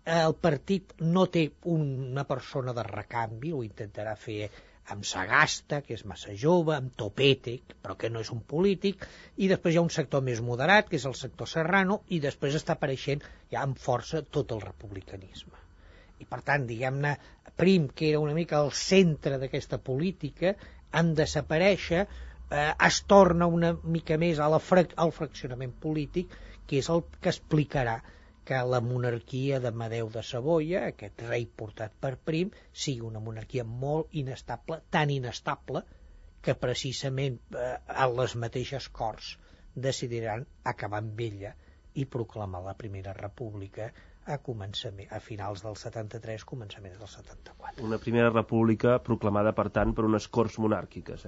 el partit no té una persona de recanvi, ho intentarà fer amb Sagasta, que és massa jove, amb Topete, però que no és un polític, i després hi ha un sector més moderat, que és el sector Serrano, i després està apareixent ja amb força tot el republicanisme. I per tant, diguem-ne, Prim, que era una mica el centre d'aquesta política, en desaparèixer, es torna una mica més al fraccionament polític que és el que explicarà que la monarquia d'Amadeu de Savoia, aquest rei portat per Prim, sigui una monarquia molt inestable, tan inestable que precisament a les mateixes corts decidiran acabar amb ella i proclamar la Primera República a finals del 73, començaments del 74. Una Primera República proclamada, per tant, per unes corts monàrquiques,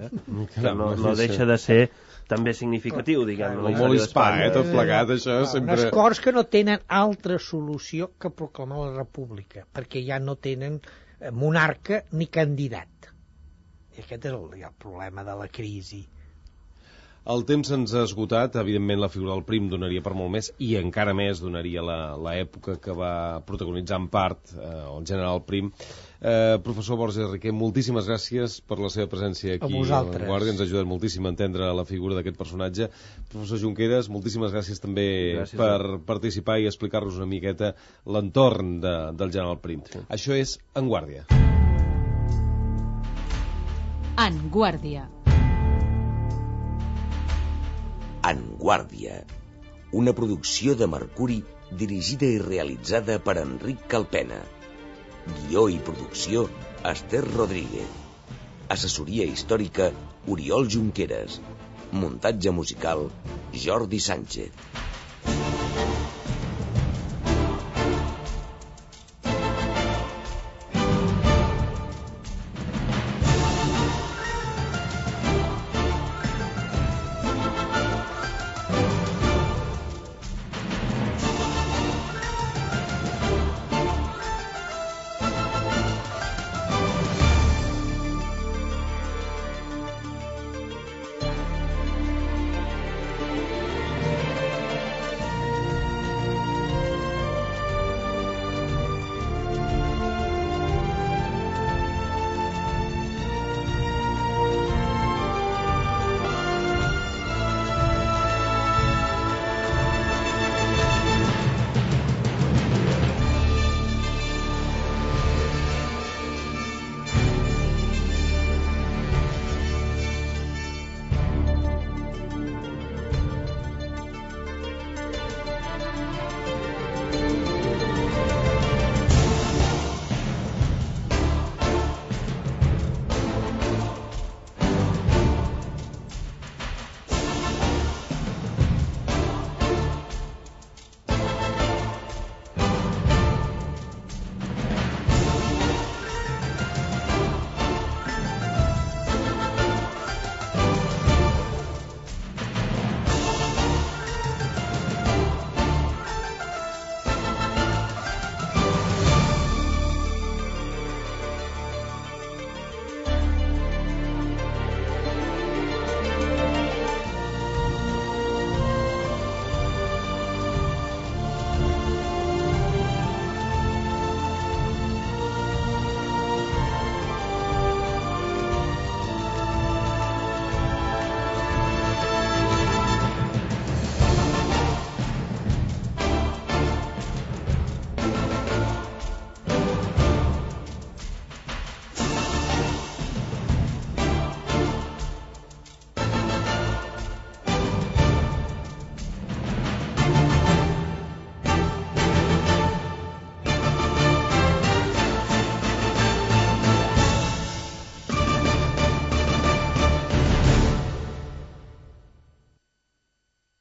que no sí. deixa de ser també significatiu, diguem. Molt hispà, tot plegat, això sempre... Unes corts que no tenen altra solució que proclamar la República, perquè ja no tenen monarca ni candidat. I aquest és el problema de la crisi. El temps se'ns ha esgotat, evidentment la figura del Prim donaria per molt més, i encara més donaria l'època que va protagonitzar en part el general Prim. Professor Borges Riquer, moltíssimes gràcies per la seva presència aquí a La Guàrdia, ens ha ajudat moltíssim a entendre la figura d'aquest personatge. Professor Junqueras, moltíssimes gràcies també per participar i explicar-nos una miqueta l'entorn del general Prim. Sí. Això és En Guàrdia. En Guàrdia. En Guàrdia, una producció de Mercuri dirigida i realitzada per Enric Calpena. Guió i producció, Esther Rodríguez. Assessoria històrica, Oriol Junqueras. Muntatge musical, Jordi Sánchez.